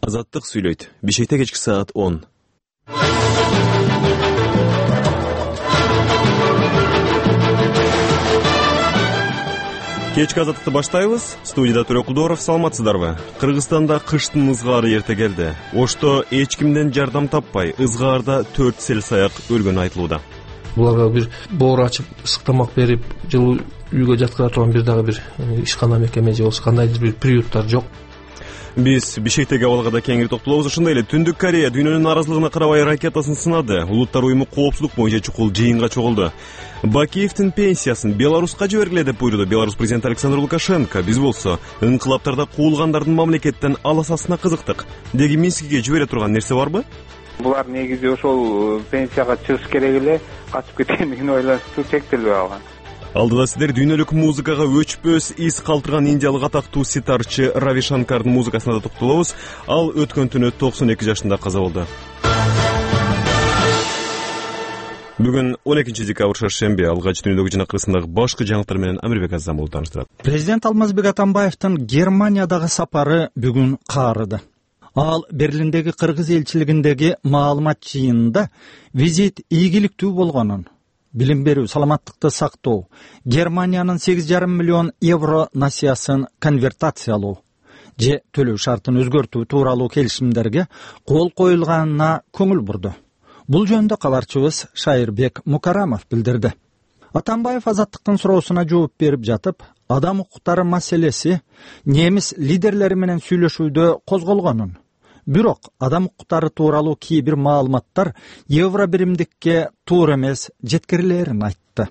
Азаттык сүйлөйт. Бишкекте кечки саат 10. Кечки азаттыкты баштайбыз. Студияда Төрө Кулдоров, саламатсыздарбы? Кыргызстанда кыштын ызгаары эрте келди. Ошто эч кимден жардам таппай, ызгаарда 4 селсаяк өлгөнү айтылууда. Буларга бир боор ачып, ысык тамак берип, жылуу үйгө жаткыра турган бир дагы бир ишкана мекеме же болбосо кандайдыр бир приюттар жок. Биз Бишкектеги абалга да кеңири токтолобуз. Ошондой эле Түндүк Корея дүйнөнүн наразылыгына карабай ракетасын сынады. Улуттар уюму коопсуздук боюнча чукул жыйынга чогулду. Бакиевдин пенсиясын Беларуска жибергиле деп буйруду Беларусь президенти Александр Лукашенко. Биз болсо ыңкылаптарда куулгандардын мамлекеттен аласасына кызыктык. Деги Минскиге жибере турган нерсе барбы? Булар негизи ошол пенсияга чыгыш керек эле, качып кеткендигин ойлонуп чектелбей калган. Алдыда сиздер дүйнөлүк музыкага өчпөс из калтырган индиялык атактуу ситарчы Рави Шанкардын музыкасына да токтолобуз. Ал өткөн түнү 92 жашында каза болду. Бүгүн 12 декабрь шаршемби. Алгач дүйнөлүк жинакырысындагы башкы жаңылыктар менен Амирбек Азамов тааныштырат. Президент Алмазбек Атамбаевдин Германиядагы сапары бүгүн каарыды. Ал Берлиндеги кыргыз элчилигиндеги маалымат жыйынында визит ийгиликтүү болгонун, билим берүү, саламаттыкты сактоо, Германиянын 8,5 миллион евро насыясын конвертациялоо же төлөө шартын өзгөртүү тууралуу келишимдерге кол коюлганына көңүл бурду. Бул жөнүндө кабарчыбыз Шайырбек Мукарамов билдирди. Атамбаев азаттыктын суроосуна жооп берип жатып, адам укуктары маселеси немис лидерлери менен сүйлөшүүдө козголгонун, бирок адам укуктары тууралуу кээ бир маалыматтар евро биримдикке туура эмес жеткирилерин айтты.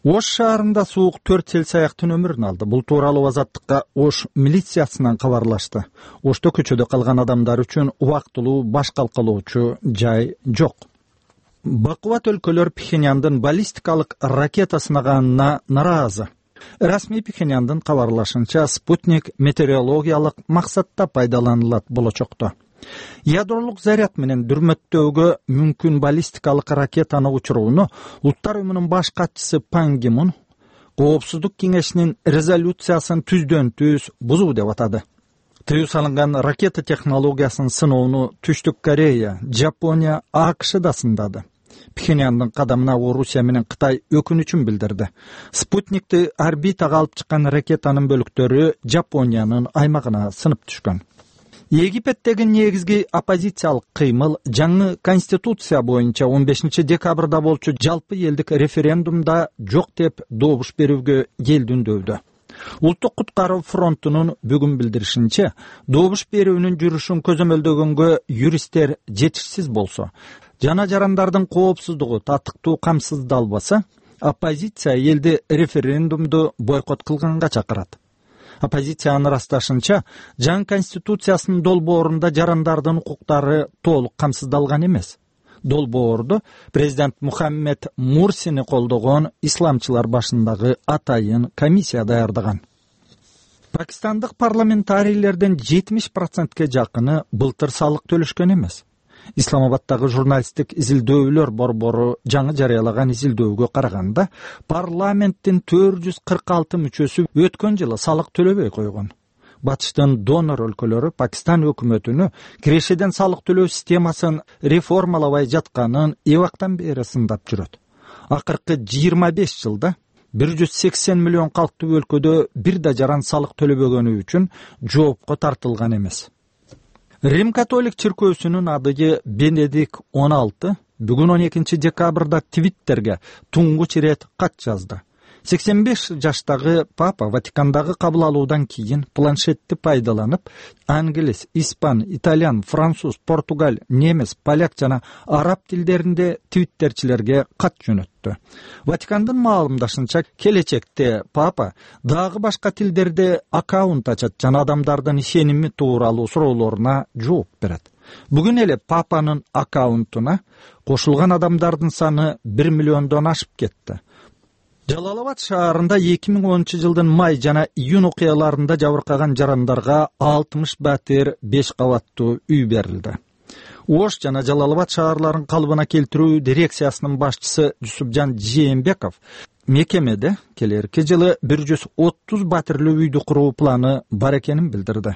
Ош шаарында суук 4 селсаяктын өмүрүн алды. Бул тууралуу азаттыкка Ош милициясынан кабарлашты. Ошто көчөдө калган адамдар үчүн убактылуу баш калкалоочу жай жок. Бакубат өлкөлөр Пхеньяндын баллистикалык ракета сынаганына наразы. Расмий Пхеньяндын кабарлашынча, спутник метеорологиялык максатта пайдаланылат болочокто. Ядролук заряд менен дүрмөттөөгө мүмкүн баллистикалык ракетаны учурууну Улуттар уюмунун баш катчысы Пан Ги Мун Коопсуздук кеңешинин резолюциясын түздөн-түз бузуу деп атады. Тыюу салынган ракета технологиясын сыноону Түштүк Корея, Жапония, АКШ да сындады. Пхеньяндын кадамына Орусия менен Кытай өкүнүчүн билдирди. Спутникти орбитага алып чыккан ракетанын бөлүктөрү Жапониянын аймагына сынып түшкөн. Египеттеги негизги оппозициялык кыймыл жаңы конституция боюнча 15 декабрда болчу жалпы элдик референдумда жок деп добуш берүүгө келдүндөөдө. Улуттук куткаруу фронтунун бүгүн билдиришинче, добуш берүүнүн жүрүшүн көзөмөлдөгөнгө юристтер жетишсиз болсо, жана жарандардын коопсуздугу татыктуу камсыздалбаса, оппозиция элди референдумду бойкот кылганга чакырат. Оппозициянын ырасташынча, жаңы конституциясынын долбоорунда жарандардын укуктары толук камсыздалган эмес. Долбоорду президент Мухаммед Мурсини колдогон исламчылар башындагы атайын комиссия даярдаган. Пакистандык парламентарийлердин 70%ке жакыны былтыр салык төлөшкөн эмес. Исламабадтагы журналисттик изилдөөлөр борбору жаңы жарыялаган изилдөөгө караганда, парламенттин 446 мүчөсү өткөн жылы салык төлөбөй койгон. Батыштын донор өлкөлөрү Пакистан өкмөтүнү кирешеден салык төлөө системасын реформалабай жатканын эбактан бери сындап жүрөт. Акыркы 25 жылда 180 миллион калктуу өлкөдө бир да жаран салык төлөбөгөнү үчүн жоопко тартылган эмес. Рим католик чиркөөсүнүн адыгы Бенедикт 16 бүгүн 12 декабрда Твиттерге туңгуч ирет кат жазды. 85 жаштагы папа Ватикандагы кабыл алуудан кийин планшетти пайдаланып, англис, испан, итальян, француз, португал, немис, поляк жана араб тилдеринде твиттерчилерге кат жөнөттү. Ватикандын маалымдашынча, келечекте папа дагы башка тилдерде аккаунт ачат жана адамдардын ишеними тууралуу суроолоруна жооп берет. Бүгүн эле папанын аккаунтуна кошулган адамдардын саны 1 миллиондон ашып кетти. Жалалабад шаарында 2010 жылдын май жана июнь окуяларында жабыркаган жарандарга 60 батир 5 кабаттуу үй берилди. Ош жана Жалалабад шаарларын калыбына келтирүү дирекциясынын башчысы Жусупжан Жээнбеков мекемеде келерки жылы 130 батирлүү үйдү куруу планы бар экенин билдирди.